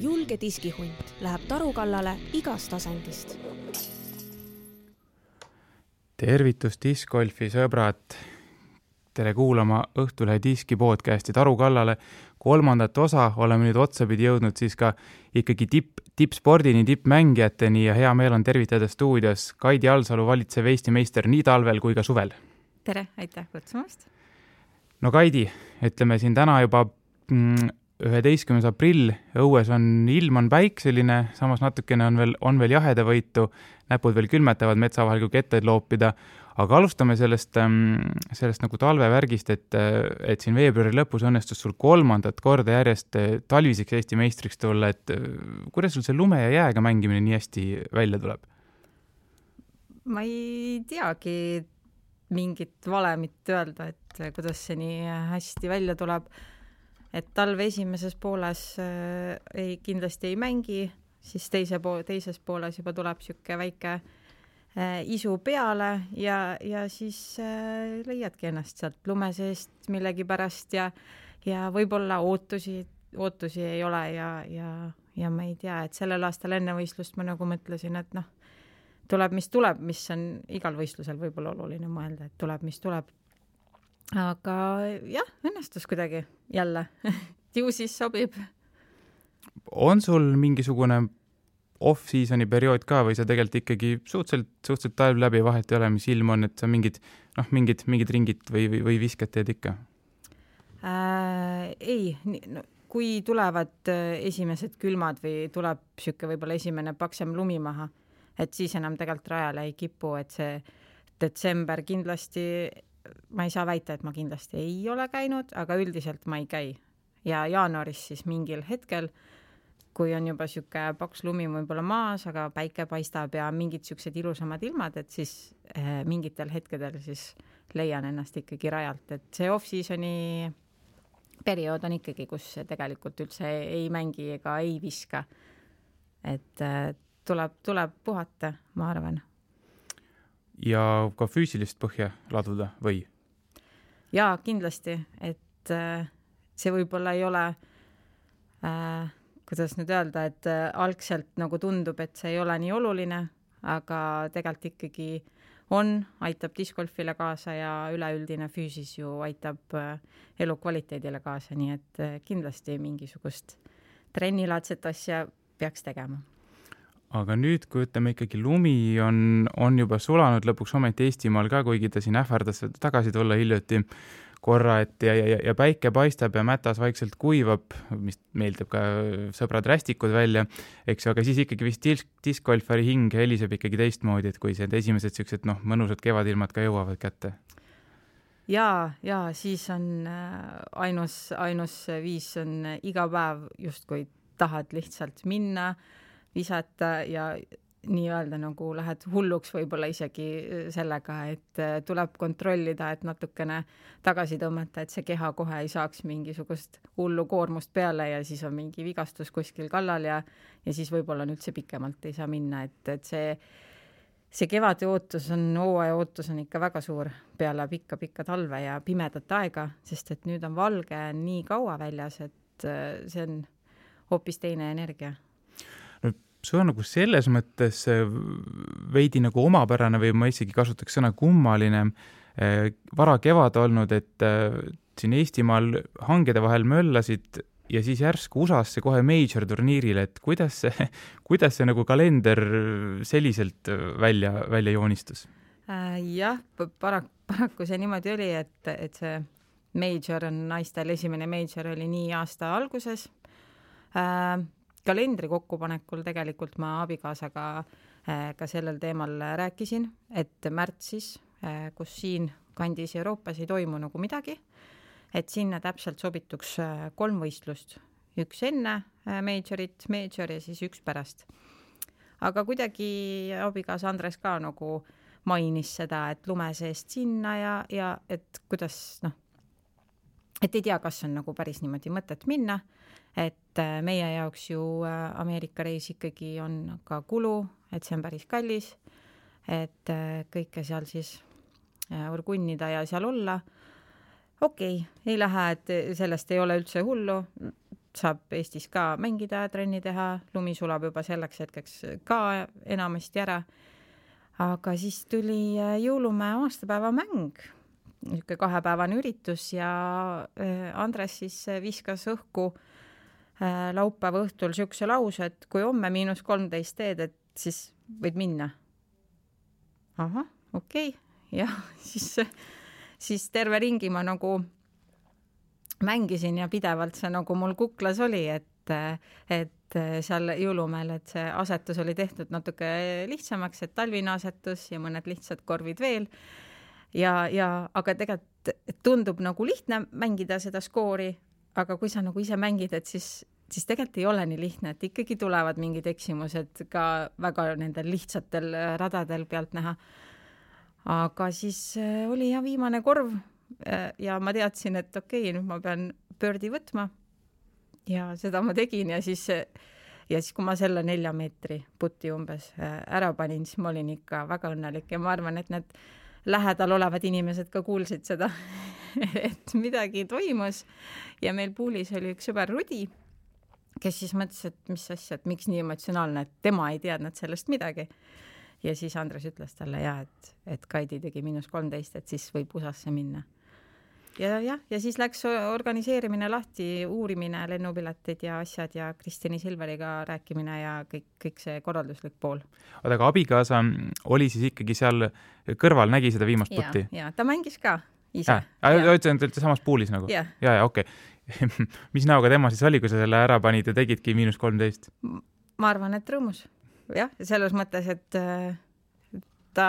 julge diskihunt läheb tarukallale igast tasandist. Tervitus discgolfi sõbrad! Tere kuulama Õhtulehe diski podcasti Tarukallale. 3. osa oleme nüüd otsapidi jõudnud siis ka ikkagi tippspordini, tippmängijateni ja hea meel on tervitada stuudios Kaidi Alsalu, valitsev Eesti meister nii talvel kui ka suvel. Tere, aitäh kutsumast! No Kaidi, ütleme siin täna juba 11. aprill, õues ilm on päikseline, samas natukene on veel jahedavõitu, näpud veel külmetavad metsa vahel, kui kettaid loopida, aga alustame sellest nagu talvevärgist, et siin veebruari lõpus õnnestus sul 3. korda järjest talviseks Eesti meistriks tulla, et kuidas sul see lume ja jääga mängimine nii hästi välja tuleb? Ma ei teagi mingit valemit öelda, et kuidas see nii hästi välja tuleb. Et talve esimeses pooles kindlasti ei mängi, siis teises pooles juba tuleb siuke väike isu peale ja siis leiadki ennast sealt lume seest millegi pärast ja võib-olla ootusi ei ole ja ma ei tea, et sellel aastal enne võistlust ma nagu mõtlesin, et tuleb, mis on igal võistlusel võib-olla oluline mõelda, et tuleb, mis tuleb. Aga jah, õnnestus kuidagi jälle. Ju siis sobib. On sul mingisugune off-seasoni periood ka või sa tegelikult ikkagi suhteliselt talv läbi vahet ei ole, mis ilm on, et sa mingid ringid või viskad teed ikka? Ei, kui tulevad esimesed külmad või tuleb siuke võib-olla esimene paksem lumi maha, et siis enam tegelikult rajale ei kipu, et see detsember kindlasti, ma ei saa väita, et ma kindlasti ei ole käinud, aga üldiselt ma ei käi. Ja jaanuaris siis mingil hetkel, kui on juba siuke paks lumi võib-olla maas, aga päike paistab ja mingid siuksed ilusamad ilmad, et siis mingitel hetkedel siis leian ennast ikkagi rajalt, et see off-seasoni periood on ikkagi, kus tegelikult üldse ei mängi ega ei viska. Et tuleb puhata, ma arvan. Ja ka füüsilist põhja laduda või? Jaa, kindlasti, et see võib-olla ei ole kuidas nüüd öelda, et algselt nagu tundub, et see ei ole nii oluline, aga tegelikult ikkagi aitab discgolfile kaasa ja üleüldine füüsis ju aitab elukvaliteedile kaasa, nii et kindlasti mingisugust trennilaadset asja peaks tegema. Aga nüüd, kui ütleme ikkagi lumi on juba sulanud lõpuks ometi Eestimaal ka, kuigi ta siin ähvardas tagasi tulla hiljuti korra, et ja päike paistab ja mätas vaikselt kuivab, mis meeldib ka sõbrad rästikud välja, eks, aga siis ikkagi vist discgolfari hing heliseb ikkagi teistmoodi, et kui see esimesed siuksed mõnusad kevadilmad ka jõuavad kätte. Ja siis on ainus viis on iga päev justkui tahad lihtsalt minna, visata ja nii-öelda nagu lähed hulluks võib-olla isegi sellega, et tuleb kontrollida, et natukene tagasi tõmmata, et see keha kohe ei saaks mingisugust hullu koormust peale ja siis on mingi vigastus kuskil kallal ja siis võib-olla üldse pikemalt ei saa minna, et see kevade ootus hooaja ootus on ikka väga suur peale pikka talve ja pimedat aega, sest et nüüd on valge nii kaua väljas, et see on hoopis teine energia. See on nagu selles mõttes veidi nagu omapärane või ma isegi kasutaks sõna kummaline vara kevad olnud, et siin Eestimaal hangede vahel möllasid ja siis järsku USA-sse kohe major turniirile, et kuidas see nagu kalender selliselt välja joonistus? Jah, paraku see niimoodi oli, et see major on naistel, esimene major oli nii aasta alguses. Kalendri kokkupanekul tegelikult ma abikaasaga ka sellel teemal rääkisin, et märtsis, kus siin kandis Euroopas ei toimu nagu midagi, et sinna täpselt sobituks 3 võistlust. 1 enne majorit, major ja siis 1 pärast. Aga kuidagi abikaasa Andres ka nagu mainis seda, et lume seest sinna ja et kuidas, et ei tea, kas on nagu päris niimoodi mõtet minna, et meie jaoks ju Ameerika reis ikkagi on ka kulu, et see on päris kallis, et kõike seal siis orgunnida ja seal olla. Okei, ei lähe, et sellest ei ole üldse hullu. saab Eestis ka mängida, trenni teha, lumi sulab juba selleks hetkeks ka enamasti ära. Aga siis tuli Jõulumäe aastapäevamäng, niisugune 2-päevane üritus ja Andres siis viskas õhku laupäeva õhtul niisuguse lause, et kui homme -13 teed, et siis võid minna. Ahah, okei. Ja siis terve ringi ma nagu mängisin ja pidevalt see nagu mul kuklas oli, et seal Jõulumäel, et see asetus oli tehtud natuke lihtsamaks, et talvine asetus ja mõned lihtsad korvid veel. Aga tegelikult tundub nagu lihtne mängida seda skoori, aga kui sa nagu ise mängid, et siis tegelikult ei ole nii lihtne, et ikkagi tulevad mingid eksimused ka väga nendel lihtsatel radadel pealt näha. Aga siis oli viimane korv ja ma teadsin, et okei, nüüd ma pean pöördi võtma ja seda ma tegin ja siis kui ma selle 4 meetri putti umbes ära panin, siis ma olin ikka väga õnnelik ja ma arvan, et need lähedal olevad inimesed ka kuulsid seda, et midagi toimus ja meil puulis oli üks sõber Rudi, kes siis mõtles, et mis asja, et miks nii emotsionaalne, et tema ei teadnud sellest midagi. Ja siis Andres ütles talle et Kaidi tegi -13, et siis võib USA-sse minna. Ja siis läks organiseerimine lahti, uurimine, lennupiletid ja asjad ja Kristjani Silveriga rääkimine ja kõik see korralduslik pool. Aga abikaasa oli siis ikkagi seal kõrval, nägi seda viimast putti? Ja, ta mängis ka ise. Ütlen, et samas puulis nagu? Ja, okei. Mis näoga tema siis oli, kui sa selle ära panid ja tegidki -13? Ma arvan, et rõõmus. Jah, selles mõttes, et ta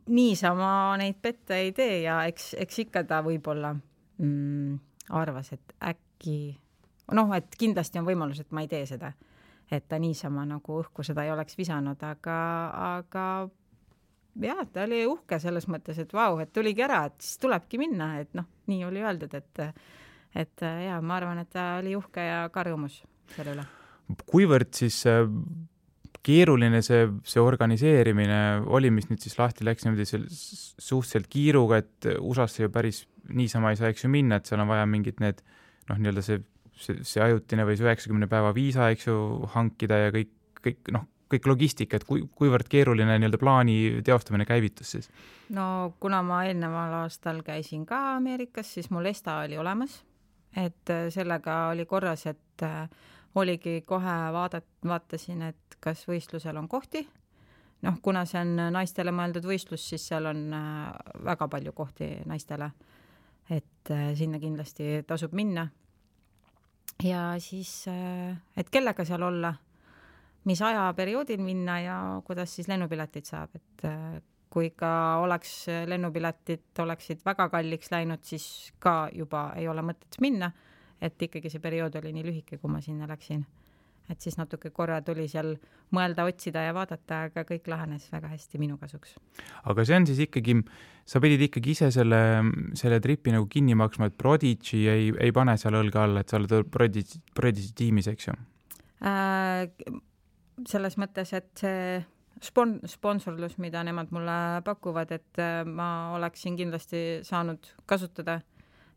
niisama neid pette ei tee ja eks ikka ta võib-olla arvas, et äkki, et kindlasti on võimalus, et ma ei tee seda, et ta niisama nagu õhku seda ei oleks visanud, aga jah, ta oli uhke selles mõttes, et vau, et tuligi ära, et siis tulebki minna, et nii oli öeldud, et ja ma arvan, et ta oli uhke ja ka rõõmus selle üle. Kuivõrd siis keeruline see organiseerimine oli, mis nüüd siis lahti läks niimoodi suhteliselt kiiruga, et USA-sse ju päris niisama ei saa eks ju minna, et seal on vaja mingid need nii-öelda see ajutine või see 90 päeva viisa eks ju hankida ja kõik logistika, et kuivõrd keeruline nii-öelda plaani teostamine käivitus siis? No kuna ma eelneval aastal käisin ka Ameerikas, siis mul ESTA oli olemas, et sellega oli korras, et oligi kohe vaatasin, et kas võistlusel on kohti. Kuna see on naistele mõeldud võistlus, siis seal on väga palju kohti naistele, et sinna kindlasti tasub minna. Ja siis, et kellega seal olla, mis ajaperioodil minna ja kuidas siis lennupiletid saab, et kui ka lennupiletid oleksid väga kalliks läinud, siis ka juba ei ole mõtet minna, et ikkagi see periood oli nii lühike, kui ma sinna läksin. Et siis natuke korra tuli seal mõelda, otsida ja vaadata, aga kõik lahenes väga hästi minu kasuks. Aga see on siis ikkagi, sa pidid ikkagi ise selle tripi nagu kinni maksma, et Prodigy ei pane seal õlga alla, et sa oled Prodigy tiimis, eks ju? Selles mõttes, et see sponsorlus, mida nemad mulle pakuvad, et ma oleksin kindlasti saanud kasutada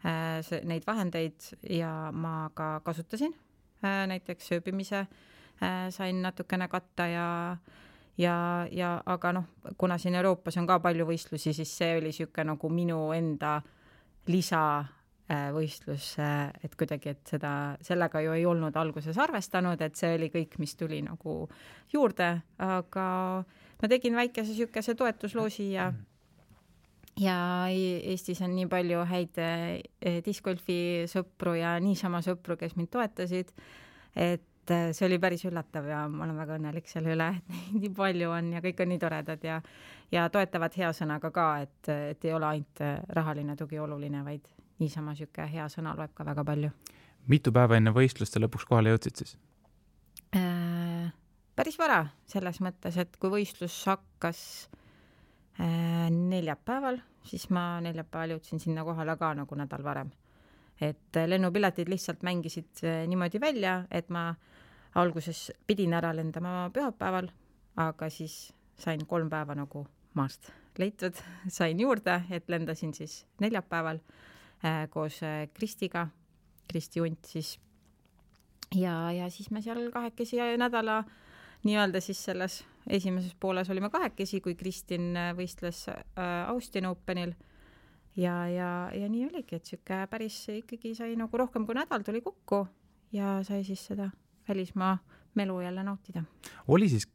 neid vahendeid ja ma ka kasutasin. Näiteks sööbimise sain natukene katta aga kuna siin Euroopas on ka palju võistlusi, siis see oli siuke nagu minu enda lisavõistlus, et kuidagi, et sellega ju ei olnud alguses arvestanud, et see oli kõik, mis tuli nagu juurde, aga ma tegin väikese siukese toetusloosi ja Eestis on nii palju häid discgolfi sõpru ja niisama sõpru, kes mind toetasid, et see oli päris üllatav ja ma olen väga õnnelik selle üle, et nii palju on ja kõik on nii toredad ja toetavad hea sõnaga ka, et ei ole ainult rahaline tugi oluline, vaid niisama siuke hea sõna loeb ka väga palju. Mitu päeva enne võistluste lõpuks kohale jõudsid siis? Päris vara selles mõttes, et kui võistlus hakkas neljapäeval, siis ma neljapäeval jõudsin sinna kohale ka nagu nädal varem. Et lennupiletid lihtsalt mängisid niimoodi välja, et ma alguses pidin ära lendama pühapäeval, aga siis sain 3 päeva nagu maast leitud, sain juurde, et lendasin siis neljapäeval koos Kristiga. Kristi Unt siis ja siis me seal kahekesi nädala nii-öelda siis selles esimeses pooles olime kahekesi, kui Kristin võistles Austin Openil ja nii oligi, et siuke päris ikkagi sai nagu rohkem kui nädal tuli kokku ja sai siis seda välismaa melu jälle nautida. Oli siis,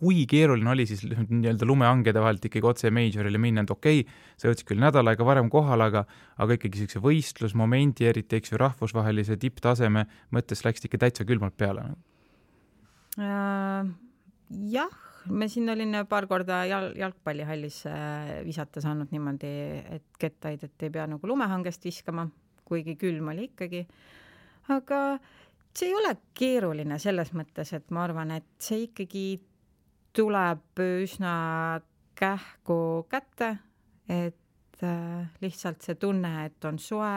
kui keeruline oli siis nii-öelda lumehangede vahelt ikkagi otse majorile minna, et okei, sa jõudsid küll nädal aega varem kohal, aga ikkagi sellise võistlusmomendi, eriti eks ju rahvusvahelise tipptaseme mõttes läksid ikka täitsa külmalt peale? Jah, me siin olin paar korda jalgpallihallis visata saanud niimoodi, et kettaid, et ei pea nagu lumehangest viskama, kuigi külm oli ikkagi. Aga see ei ole keeruline selles mõttes, et ma arvan, et see ikkagi tuleb üsna kähku kätte, et lihtsalt see tunne, et on soe,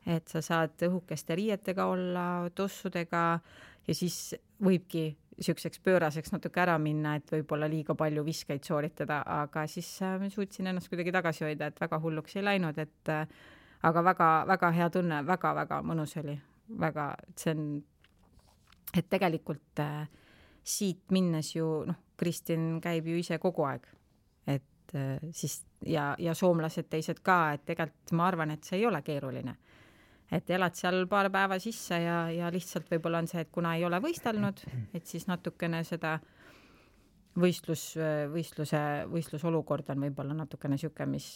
et sa saad õhukeste riietega olla, tossudega ja siis võibki siukseks pööraseks natuke ära minna, et võib-olla liiga palju viskeid sooritada, aga siis suutsin ennast kuidagi tagasi hoida, et väga hulluks ei läinud, et aga väga hea tunne, väga mõnus oli. Väga, see on, et tegelikult siit minnes ju, Kristin käib ju ise kogu aeg, et siis ja soomlased teised ka, et tegelikult ma arvan, et see ei ole keeruline. Et elad seal paar päeva sisse ja lihtsalt võib-olla on see, et kuna ei ole võistelnud, et siis natukene seda võistlusolukord on võib-olla natukene siuke, mis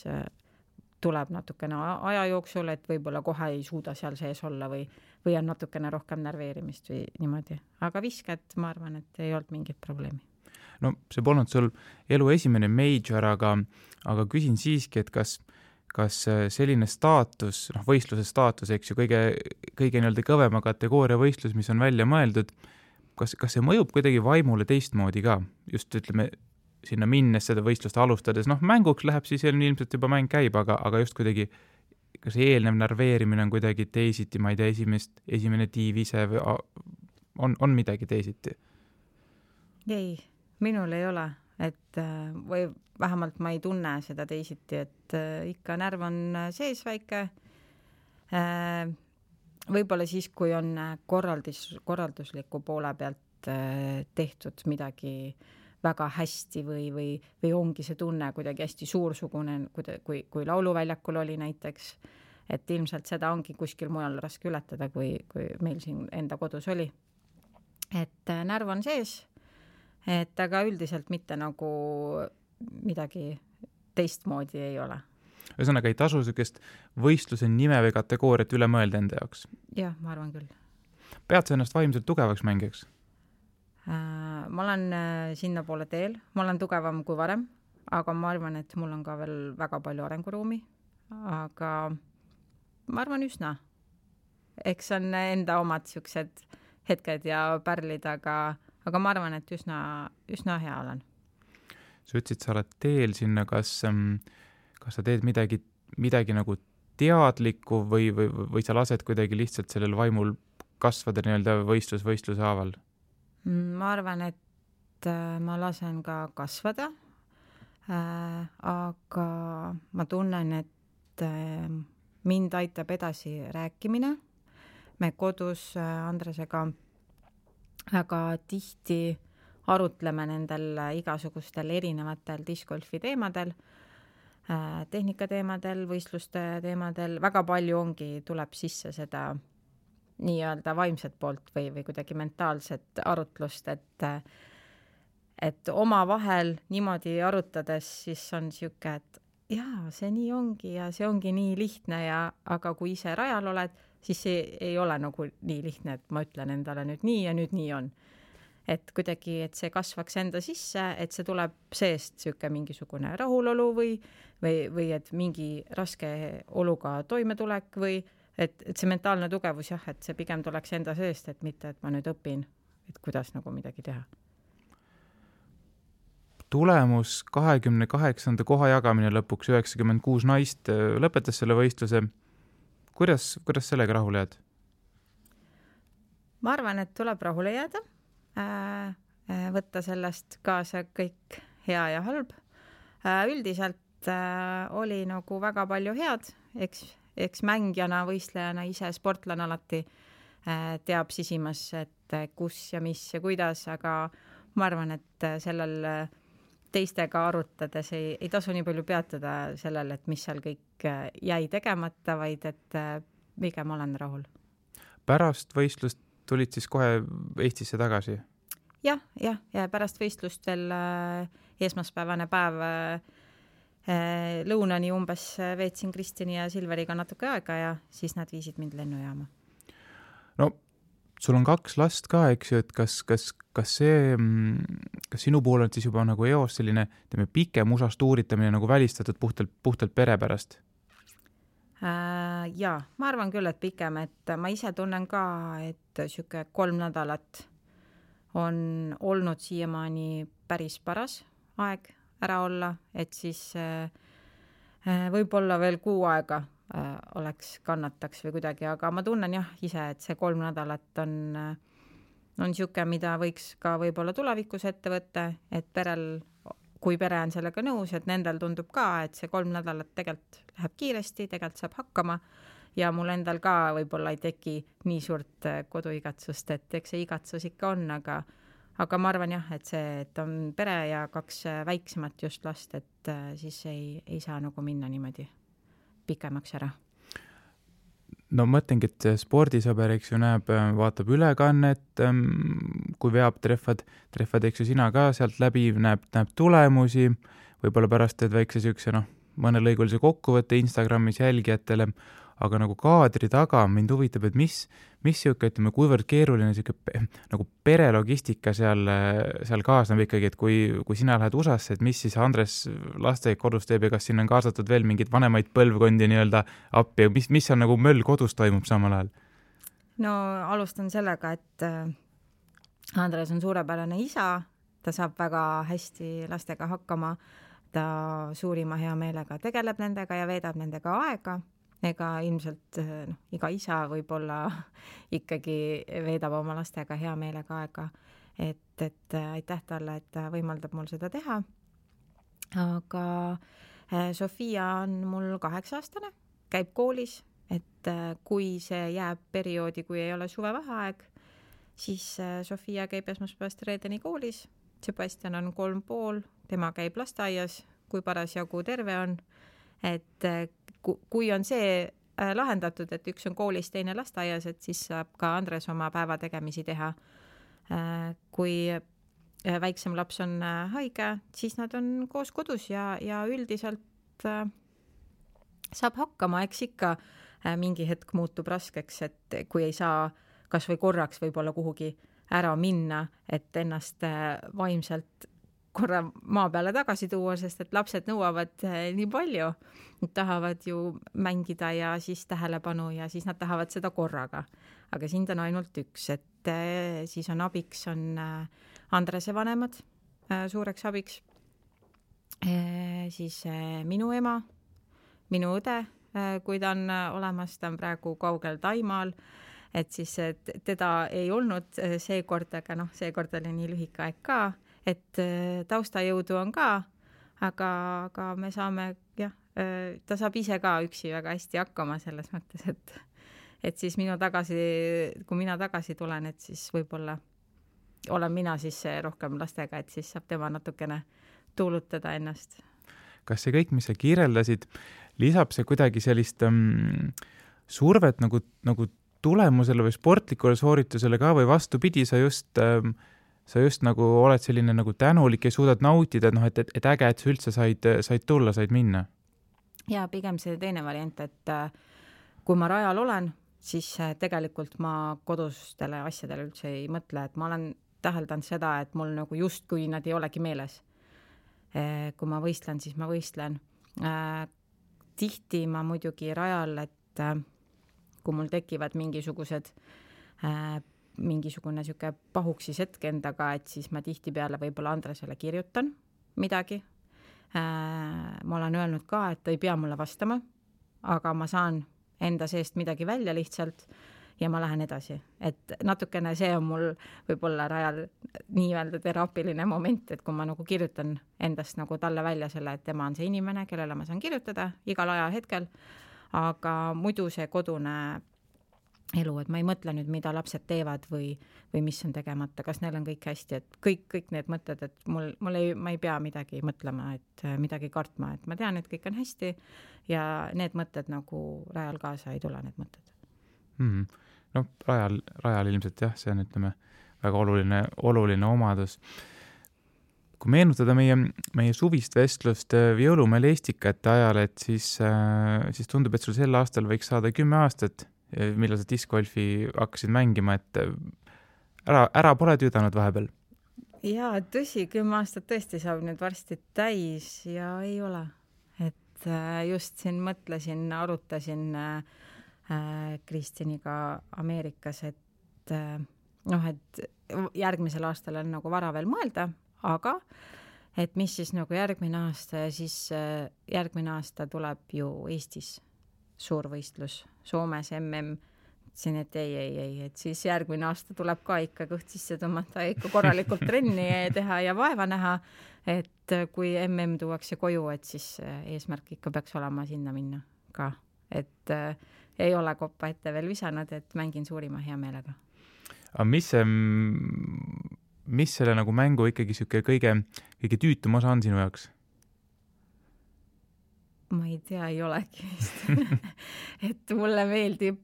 tuleb natukene aja jooksul, et võib-olla kohe ei suuda seal sees olla või on natukene rohkem närveerimist või niimoodi. Aga visked, ma arvan, et ei olnud mingit probleemi. No see polnud sul elu esimene major, aga küsin siiski, et kas selline staatus, võistluse staatus, eks ju, kõige nii-öelda kõvema kategooria võistlus, mis on välja mõeldud, kas see mõjub kuidagi vaimule teistmoodi ka? Just ütleme, sinna minnes seda võistlust alustades, mänguks läheb siis ilmselt juba mäng käib, aga just kuidagi, kas eelnev närveerimine on kuidagi teisiti, ma ei tea, esimene tiiv ise või on midagi teisiti? Ei, minul ei ole, et või vähemalt ma ei tunne seda teisiti, et ikka närv on sees väike. Võib-olla siis, kui on korraldusliku poole pealt tehtud midagi väga hästi või ongi see tunne kuidagi hästi suursugune, kui lauluväljakul oli näiteks, et ilmselt seda ongi kuskil mujal raske ületada, kui meil siin enda kodus oli. Et närv on sees, et aga üldiselt mitte nagu midagi teistmoodi ei ole. Ühesõnaga ei tasu sellist võistluse nime või kategooriat üle mõelda enda jaoks? Jah, ma arvan küll. Pead sa ennast vaimselt tugevaks mängijaks? Ma olen sinna poole teel, ma olen tugevam kui varem, aga ma arvan, et mul on ka veel väga palju arenguruumi, aga ma arvan üsna. Eks on enda omad siuksed hetked ja pärlid, aga ma arvan, et üsna hea olen. Sa ütlesid, sa oled teel sinna, kas sa teed midagi nagu teadlikku või sa lased kuidagi lihtsalt sellel vaimul kasvada nii-öelda võistluse haaval? Ma arvan, et ma lasen ka kasvada, aga ma tunnen, et mind aitab edasi rääkimine. Me kodus Andresega väga tihti arutleme nendel igasugustel erinevatel discgolfi teemadel, tehnikateemadel, võistluste teemadel, väga palju tuleb sisse seda nii-öelda vaimset poolt või kuidagi mentaalset arutlust, et oma vahel niimoodi arutades siis on siuke, et jaa, see nii ongi ja see ongi nii lihtne aga kui ise rajal oled, siis see ei ole nagu nii lihtne, et ma ütlen endale nüüd nii ja nüüd nii on. Et kuidagi, et see kasvaks enda sisse, et see tuleb seest siuke mingisugune rahulolu või et mingi raske oluga toimetulek või et see mentaalne tugevus jah, et see pigem tuleks enda seest, et mitte, et ma nüüd õpin, et kuidas nagu midagi teha. Tulemus 28. koha jagamine lõpuks 96 naist lõpetas selle võistluse. Kuidas sellega rahule jääd? Ma arvan, et tuleb rahule jääda. Võtta sellest kaasa kõik hea ja halb. Üldiselt oli nagu väga palju head, eks mängijana, võistlejana, ise sportlane alati teab sisimas, et kus ja mis ja kuidas, aga ma arvan, et sellel teistega arutades ei tasu nii palju peatuda sellel, et mis seal kõik jäi tegemata, vaid et pigem olen rahul. Pärast võistlust tulid siis kohe Eestisse tagasi? Ja pärast võistlust veel esmaspäevane päev lõunani umbes veetsin Kristjani ja Silveriga natuke aega ja siis nad viisid mind lennujaama. No, sul on 2 last ka, eks ju, et kas sinu pool on siis juba nagu eos selline pikem usast uuritamine nagu välistatud puhtalt pere pärast? Jaa, ma arvan küll, et pikem, et ma ise tunnen ka, et siuke 3 nädalat on olnud siiamaani päris paras aeg ära olla, et siis võib-olla veel 6 aega oleks kannataks või kuidagi, aga ma tunnen jah ise, et see 3 nädalat on siuke, mida võiks ka võib-olla tulevikus ette võtta, et perel, kui pere on sellega nõus, et nendel tundub ka, et see 3 nädalat tegelikult läheb kiiresti, tegelikult saab hakkama ja mul endal ka võib-olla ei teki nii suurt koduigatsust, et eks see igatsus ikka on, aga ma arvan jah, et see, et on pere ja 2 väiksemat just last, et siis ei saa nagu minna niimoodi pikemaks ära. No mõtlengi, et spordisõber, eks ju, vaatab ülekannet, kui veab trehvad, eks ju, sina ka sealt läbi, näeb tulemusi, võib-olla pärast teed väikse sükse, mõnelõigulise kokkuvõtte Instagramis jälgijatele, aga nagu kaadri taga mind huvitab, et mis siuke, ütleme, kuivõrd keeruline siuke nagu perelogistika seal kaasneb ikkagi, et kui sina lähed USA-sse, et mis siis Andres lasteaed kodus teeb ja kas siin on kaasatud veel mingid vanemaid põlvkondi nii-öelda appi ja mis on nagu möll kodus toimub samal ajal? No alustan sellega, et Andres on suurepärane isa, ta saab väga hästi lastega hakkama, ta suurima hea meelega tegeleb nendega ja veedab nendega aega. Ega ilmselt iga isa võib-olla ikkagi veedab oma lastega hea meelega aega, et aitäh talle, et ta võimaldab mul seda teha. Aga Sofia on mul 8-aastane, käib koolis, et kui see jääb perioodi, kui ei ole suvevaheaeg, siis Sofia käib esmaspäevast reedeni koolis, Sebastian on 3,5, tema käib lasteaias, kui parasjagu terve on, et kui on see lahendatud, et üks on koolis, teine lasteaias, et siis saab ka Andres oma päevategemisi teha. Kui väiksem laps on haige, siis nad on koos kodus ja üldiselt saab hakkama, eks ikka mingi hetk muutub raskeks, et kui ei saa kas või korraks võib-olla kuhugi ära minna, et ennast vaimselt korra maa peale tagasi tuua, sest et lapsed nõuavad nii palju. Nad tahavad ju mängida ja siis tähelepanu ja siis nad tahavad seda korraga. Aga sind on ainult üks, et siis on abiks, on Andrese vanemad suureks abiks. Siis minu ema, minu õde, kui ta on olemas, ta on praegu kaugel Taimaal, et siis teda ei olnud seekord, aga seekord oli nii lühike aeg ka, et taustajõudu on ka, aga me saame, ta saab ise ka üksi väga hästi hakkama selles mõttes, et siis kui mina tagasi tulen, et siis võib-olla olen mina siis rohkem lastega, et siis saab tema natukene tuulutada ennast. Kas see kõik, mis sa kirjeldasid, lisab see kuidagi sellist survet nagu tulemusele või sportlikule sooritusele ka või vastupidi, sa just nagu oled selline nagu tänulik ja suudad nautida, et äge, et sa üldse said tulla, said minna? Ja pigem see teine variant, et kui ma rajal olen, siis tegelikult ma kodustele asjadele üldse ei mõtle, et ma olen täheldanud seda, et mul nagu justkui nad ei olegi meeles. Kui ma võistlen, siis ma võistlen. Tihti ma muidugi rajal, et kui mul tekivad mingisugune siuke pahuksis hetk endaga, et siis ma tihtipeale võib-olla Andresele kirjutan midagi. Ma olen öelnud ka, et ta ei pea mulle vastama, aga ma saan enda seest midagi välja lihtsalt ja ma lähen edasi. Et natukene see on mul võib-olla rajal nii-öelda teraapiline moment, et kui ma nagu kirjutan endast nagu talle välja selle, et tema on see inimene, kellele ma saan kirjutada igal ajahetkel, aga muidu see kodune elu, et ma ei mõtle nüüd, mida lapsed teevad või mis on tegemata, kas neil on kõik hästi, et kõik need mõtted, et ma ei pea midagi mõtlema, et midagi kartma, et ma tean, et kõik on hästi ja need mõtted nagu rajal kaasa ei tule, need mõtted. No rajal ilmselt jah, see on, ütleme, väga oluline omadus. Kui meenutada meie suvist vestlust Jõulumäel Estikate ajal, et siis tundub, et sul sel aastal võiks saada 10 aastat, millal sa diskgolfi hakkasid mängima, et ära pole tüüdanud vahepeal? Jaa, tõsi, 10 aastat tõesti saab nüüd varsti täis ja ei ole. Et just siin mõtlesin, arutasin Kristiniga Ameerikas, et et järgmisel aastal on nagu vara veel mõelda, aga et mis siis nagu järgmine aasta ja siis järgmine aasta tuleb ju Eestis suurvõistlus, Soomes siin, et ei, et siis järgmine aasta tuleb ka ikka kõht sisse tõmmata ja ikka korralikult trenni teha ja vaeva näha, et kui tuuakse koju, et siis eesmärk ikka peaks olema sinna minna ka, et ei ole koppa ette veel visanud, et mängin suurima hea meelega. Aga mis selle nagu mängu ikkagi siuke kõige tüütum osa on sinu jaoks? Ma ei tea, ei olegi vist. Et mulle meeldib,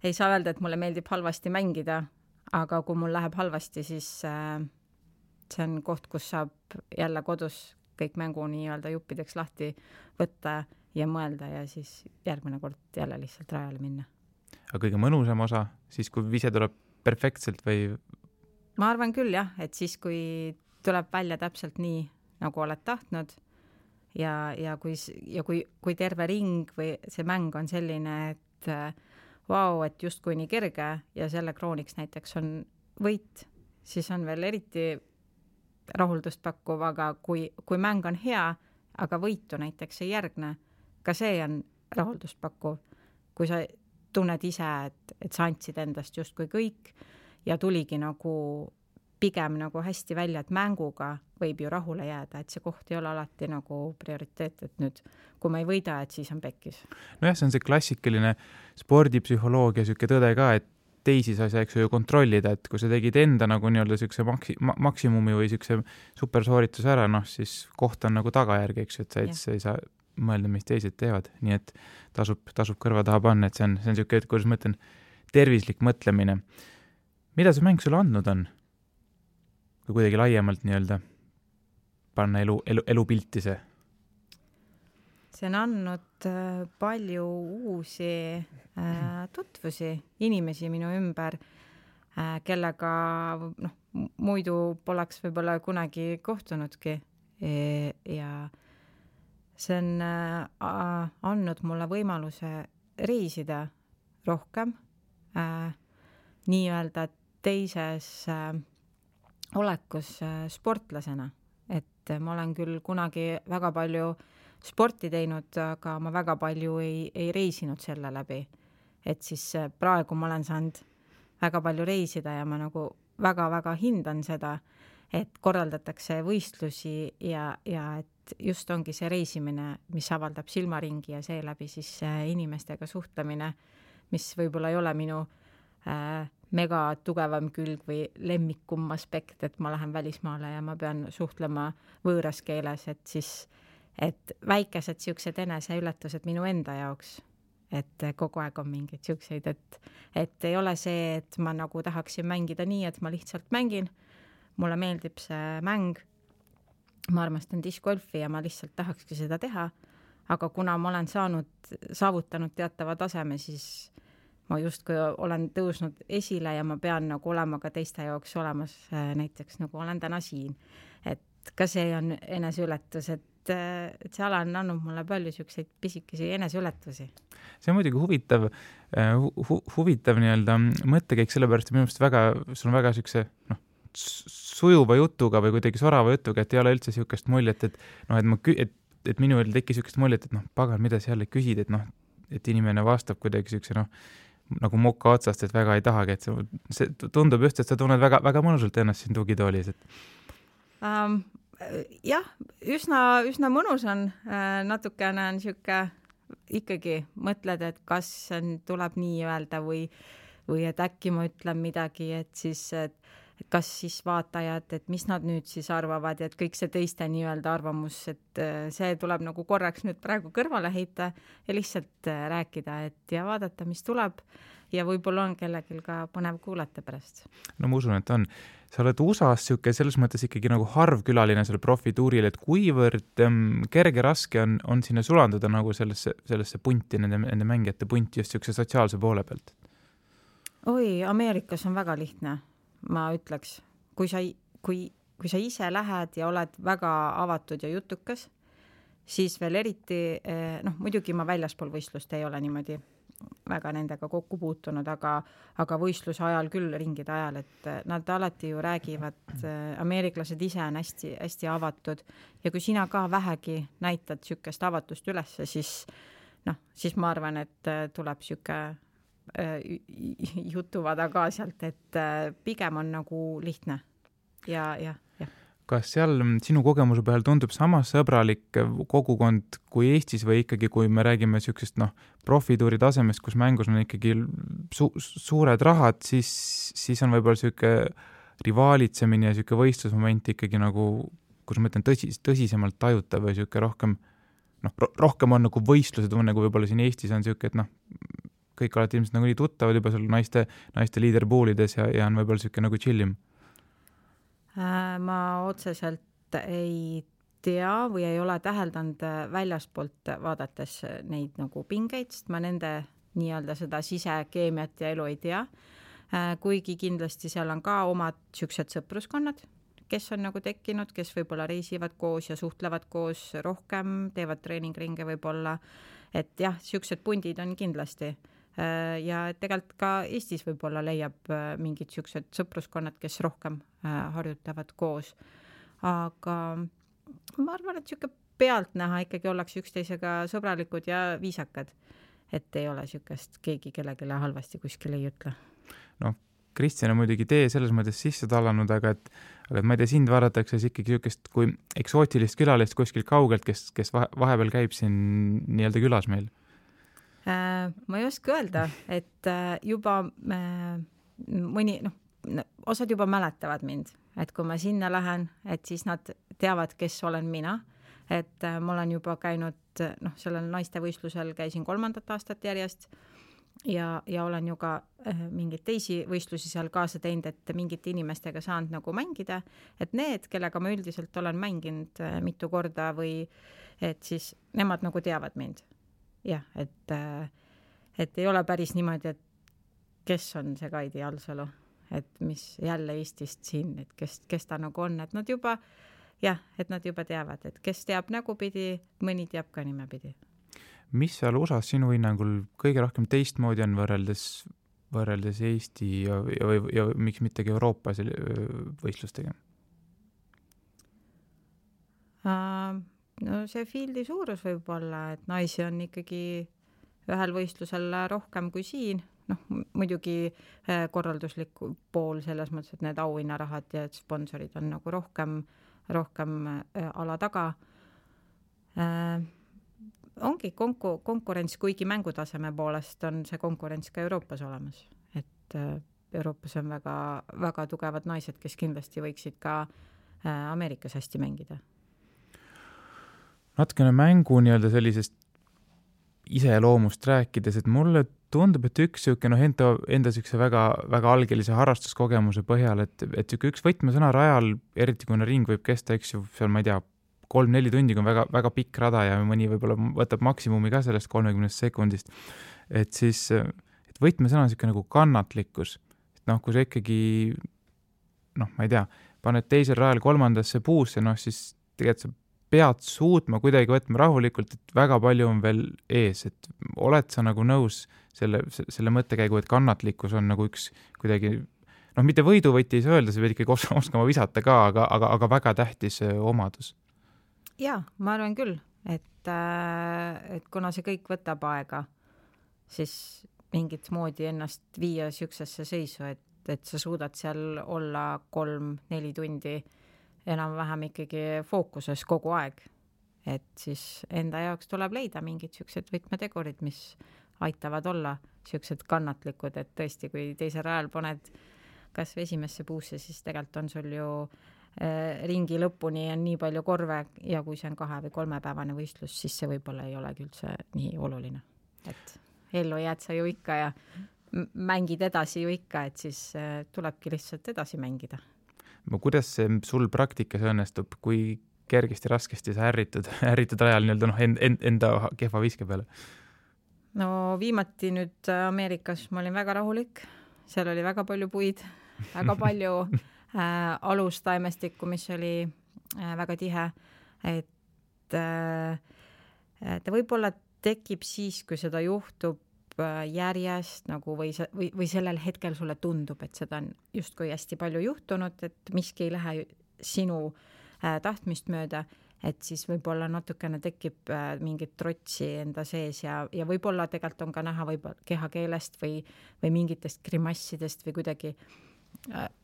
ei saa öelda, et mulle meeldib halvasti mängida, aga kui mul läheb halvasti, siis see on koht, kus saab jälle kodus kõik mängu nii-öelda juppideks lahti võtta ja mõelda ja siis järgmine kord jälle lihtsalt rajale minna. Aga kõige mõnusam osa, siis kui vise tuleb perfektselt või? Ma arvan küll jah, et siis kui tuleb välja täpselt nii, nagu oled tahtnud ja kui terve ring või see mäng on selline, et vau, et justkui nii kerge ja selle krooniks näiteks on võit, siis on veel eriti rahuldust pakkuv, aga kui mäng on hea, aga võitu näiteks ei järgne, ka see on rahuldust pakkuv. Kui sa tunned ise, et sa andsid endast justkui kõik ja tuligi nagu pigem nagu hästi välja, et mänguga võib ju rahule jääda, et see koht ei ole alati nagu prioriteet, et nüüd kui ma ei võida, et siis on pekkis. Nojah, see on see klassikaline spordipsühholoogia siuke tõde ka, et teisi sa ei saa ju kontrollida, et kui sa tegid enda nagu nii-öelda siukse maksimumi või siukse supersoorituse ära, siis koht on nagu tagajärg, eks ju, et sa ei saa mõelda, mis teised teevad, nii et tasub kõrva taha panna, et see on siuke, et kuidas ma ütlen, tervislik mõtlemine. Mida see mäng sulle andnud on? Kui kuidagi laiemalt nii-öelda panna elu pilti see? See on andnud palju uusi tutvusi, inimesi minu ümber, kellega muidu poleks võib-olla kunagi kohtunudki ja see on andnud mulle võimaluse reisida rohkem, nii-öelda teises olekus sportlasena, et ma olen küll kunagi väga palju sporti teinud, aga ma väga palju ei reisinud selle läbi. Et siis praegu ma olen saanud väga palju reisida ja ma nagu väga-väga hindan seda, et korraldatakse võistlusi ja et just ongi see reisimine, mis avaldab silmaringi ja seeläbi siis inimestega suhtlemine, mis võib-olla ei ole minu mega tugevam külg või lemmikum aspekt, et ma lähen välismaale ja ma pean suhtlema võõras keeles, et väikesed siuksed eneseületused minu enda jaoks, et kogu aeg on mingid siukseid, et ei ole see, et ma nagu tahaksin mängida nii, et ma lihtsalt mängin, mulle meeldib see mäng, ma armastan diskgolfi ja ma lihtsalt tahakski seda teha, aga kuna ma olen saavutanud teatava taseme, siis ma justkui olen tõusnud esile ja ma pean nagu olema ka teiste jaoks olemas, näiteks nagu olen täna siin. Et ka see on eneseületus, et see ala on andnud mulle palju siukseid pisikesi eneseületusi. See on muidugi huvitav nii-öelda mõttekäik, sellepärast minu meelest sul on väga siukse sujuva jutuga või kuidagi sorava jutuga, et ei ole üldse siukest muljet, et minu veel tekkis siukest muljet, et pagan, mida sa jälle küsid, et inimene vastab kuidagi siukse nagu moka otsast, et väga ei tahagi, et see tundub just, et sa tunned väga, väga mõnusalt ennast siin tugitoolis. Jah, üsna mõnus on, natukene on siuke ikkagi mõtled, et kas tuleb nii öelda või et äkki ma ütlen midagi, et siis, et kas siis vaatajad, et mis nad nüüd siis arvavad ja et kõik see teiste nii-öelda arvamus, et see tuleb nagu korraks nüüd praegu kõrvale heita ja lihtsalt rääkida, et ja vaadata, mis tuleb ja võib-olla on kellelgi ka põnev kuulata pärast. No ma usun, et on. Sa oled USA-s siuke selles mõttes ikkagi nagu harv külaline seal profituuril, et kuivõrd kerge raske on sinna sulanduda nagu sellesse punti, nende mängijate punti just siukse sotsiaalse poole pealt? Oi, Ameerikas on väga lihtne, ma ütleks. Kui sa ise lähed ja oled väga avatud ja jutukas, siis veel eriti, muidugi ma väljaspool võistlust ei ole niimoodi väga nendega kokku puutunud, aga võistluse ajal küll, ringide ajal, et nad alati ju räägivad, ameeriklased ise on hästi, hästi avatud ja kui sina ka vähegi näitad sükest avatust ülesse, siis ma arvan, et tuleb süke jutuvada ka sealt, et pigem on nagu lihtne ja. Kas seal sinu kogemuse peal tundub sama sõbralik kogukond kui Eestis või ikkagi, kui me räägime siuksest profituuri tasemest, kus mängus on ikkagi suured rahad, siis on võib-olla siuke rivaalitsemine ja siuke võistlusmoment ikkagi nagu, kus ma ütlen tõsisemalt tajutav või siuke rohkem on nagu võistluse tunne, kui võib-olla siin Eestis on siuke, et kõik olete ilmselt nagu nii tuttavad juba seal naiste leaderpoolides ja on võib-olla siuke nagu chillim. Ma otseselt ei tea või ei ole täheldanud väljaspoolt vaadates neid nagu pingeid, sest ma nende nii-öelda seda sisekeemiat ja elu ei tea. Kuigi kindlasti seal on ka omad siuksed sõpruskonnad, kes on nagu tekkinud, kes võib-olla reisivad koos ja suhtlevad koos rohkem, teevad treeningringe võib-olla, et jah, siuksed pundid on kindlasti. Ja tegelikult ka Eestis võib-olla leiab mingid siuksed sõpruskonnad, kes rohkem harjutavad koos. Aga ma arvan, et siuke pealtnäha ikkagi ollakse üksteisega sõbralikud ja viisakad, et ei ole siukest keegi kellegile halvasti kuskil ei ütle. Kristjan on muidugi tee selles mõttes sisse talanud, aga ma ei tea, sind vaadatakse ikkagi siukest kui eksootilist külalist kuskil kaugelt, kes vahepeal käib siin nii-öelda külas meil. Ma ei oska öelda, et juba mõni, osad juba mäletavad mind, et kui ma sinna lähen, et siis nad teavad, kes olen mina, et ma olen juba käinud, sellel naistevõistlusel käisin 3. aastat järjest ja olen ju ka mingeid teisi võistlusi seal kaasa teinud, et mingite inimestega saanud nagu mängida, et need, kellega ma üldiselt olen mänginud mitu korda või et siis nemad nagu teavad mind. Jah, et ei ole päris niimoodi, et kes on see Kaidi Alsalu, et mis jälle Eestist siin, et kes ta nagu on, et nad juba teavad, et kes teab nägupidi, mõni teab ka nimepidi. Mis seal USA-s sinu hinnangul kõige rohkem teistmoodi on võrreldes Eesti ja miks mittegi Euroopa võistlustega? No see fieldi suurus võib olla, et naisi on ikkagi ühel võistlusel rohkem kui siin. Muidugi korralduslik pool selles mõttes, et need auhinnarahad ja sponsorid on nagu rohkem ala taga. Ongi konkurents, kuigi mängutaseme poolest on see konkurents ka Euroopas olemas. Et Euroopas on väga, väga tugevad naised, kes kindlasti võiksid ka Ameerikas hästi mängida. Natukene mängu nii-öelda sellisest iseloomust rääkides, et mulle tundub, et üks siuke enda siukse väga, väga algelise harrastuskogemuse põhjal, et üks võtmesõna rajal, eriti kui ring võib kesta, eks ju, seal ma ei tea, 3-4 tundi, kui on väga, väga pikk rada ja mõni võib-olla võtab maksimumi ka sellest 30 sekundist, et siis et võtmesõna on siuke nagu kannatlikkus. Et kui sa ikkagi ma ei tea, paned teisel rajal 3. puusse, siis tegelikult sa pead suutma kuidagi võtma rahulikult, et väga palju on veel ees, et oled sa nagu nõus selle mõttekäigu, et kannatlikkus on nagu üks kuidagi, mitte võiduvõti ei saa öelda, sa pead ikkagi oskama visata ka, aga väga tähtis omadus. Jaa, ma arvan küll, et kuna see kõik võtab aega, siis mingit moodi ennast viia siuksesse seisu, et sa suudad seal olla 3-4 tundi enam-vähem ikkagi fookuses kogu aeg. et siis enda jaoks tuleb leida mingid siuksed võtmetegurid, mis aitavad olla siuksed kannatlikud, et tõesti, kui teisel rajal paned kas või esimesse puusse, siis tegelikult on sul ju ringi lõpuni on nii palju korve ja kui see on 2 või 3 päevane võistlus, siis see võib-olla ei olegi üldse nii oluline. Et ellu jääd sa ju ikka ja mängid edasi ju ikka, et siis tulebki lihtsalt edasi mängida. Kuidas see sul praktikas õnnestub, kui kergesti, raskesti sa ärritud rajal enda kehva viske peale? No viimati nüüd Ameerikas ma olin väga rahulik, seal oli väga palju puid, väga palju alustaimestikku, mis oli väga tihe, et ta võib-olla tekib siis, kui seda juhtub järjest nagu või sellel hetkel sulle tundub, et seda on justkui hästi palju juhtunud, et miski ei lähe sinu tahtmist mööda, et siis võib-olla natukene tekib mingit trotsi enda sees ja võib-olla tegelikult on ka näha võib-olla kehakeelest või mingitest grimassidest või kuidagi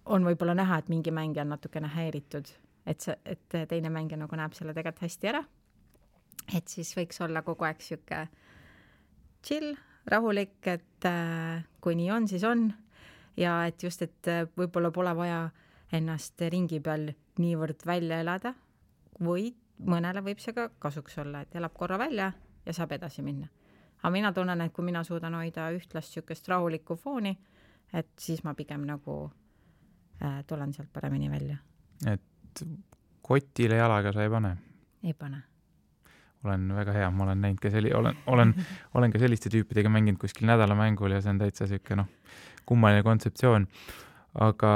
on võib-olla näha, et mingi mängija on natukene häiritud, et teine mängija nagu näeb selle tegelikult hästi ära. Et siis võiks olla kogu aeg siuke chill, rahulik, et kui nii on, siis on. Ja et just, et võib-olla pole vaja ennast ringi peal niivõrd välja elada või mõnele võib see ka kasuks olla, et elab korra välja ja saab edasi minna. Aga mina tunnen, et kui mina suudan hoida ühtlast siukest rahulikku fooni, et siis ma pigem nagu tulen sealt paremini välja. Et kotile jalaga sa ei pane? Ei pane. Olen väga hea, ma olen näinud ka olen ka selliste tüüpidega mänginud kuskil nädalamängul ja see on täitsa siuke kummaline kontseptsioon. Aga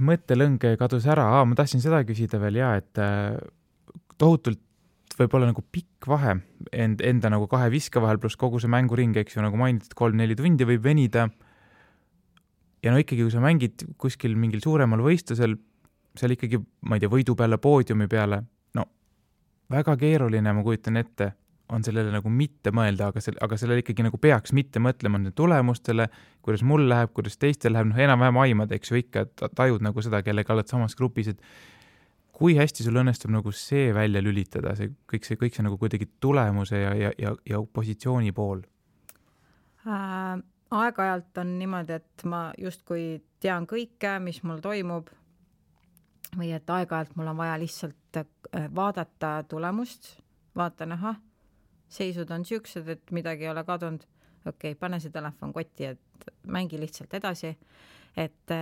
mõttelõng kadus ära. Ma tahtsin seda küsida veel et tohutult võib-olla nagu pikk vahe enda nagu 2 viske vahel pluss kogu see mänguring, eks ju, nagu mainitud 3-4 tundi võib venida. Ja ikkagi, kui sa mängid kuskil mingil suuremal võistlusel, seal ikkagi, ma ei tea, võidu peale, poodiumi peale, väga keeruline, ma kujutan ette, on sellele nagu mitte mõelda, aga sellele ikkagi nagu peaks mitte mõtlema tulemustele, kuidas mul läheb, kuidas teistel läheb, enam-vähem aimad, eks ju ikka, tajud nagu seda, kellega oled samas grupis, et kui hästi sul õnnestub nagu see välja lülitada, kõik see nagu kuidagi tulemuse ja positsiooni pool? Aeg-ajalt on niimoodi, et ma justkui tean kõike, mis mul toimub või et aeg-ajalt mul on vaja lihtsalt vaadata tulemust, vaatan, seisud on siuksed, et midagi ei ole kadunud. Okei, pane see telefon kotti, et mängi lihtsalt edasi. Et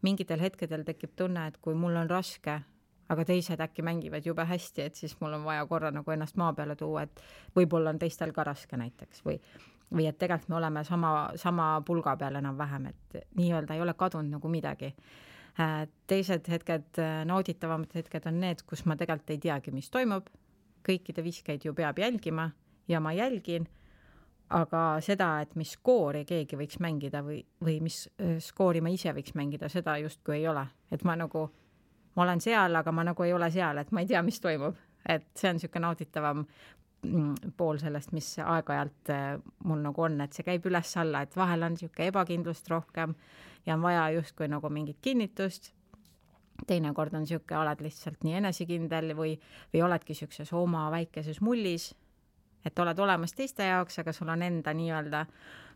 mingitel hetkedel tekib tunne, et kui mul on raske, aga teised äkki mängivad jube hästi, et siis mul on vaja korra nagu ennast maa peale tuua, et võib-olla on teistel ka raske näiteks või et tegelikult me oleme sama pulga peal enam-vähem, et nii-öelda ei ole kadunud nagu midagi. Teised hetked, nauditavamad hetked on need, kus ma tegelikult ei teagi, mis toimub. Kõikide viskeid ju peab jälgima ja ma jälgin, aga seda, et mis skoori keegi võiks mängida või mis skoori ma ise võiks mängida, seda justkui ei ole. Et ma olen seal, aga ma nagu ei ole seal, et ma ei tea, mis toimub. Et see on siuke nauditavam pool sellest, mis aeg-ajalt mul nagu on, et see käib üles alla, et vahel on siuke ebakindlust rohkem ja on vaja justkui nagu mingit kinnitust. Teinekord on siuke, oled lihtsalt nii enesekindel või oledki siukses oma väikeses mullis, et oled olemas teiste jaoks, aga sul on enda nii-öelda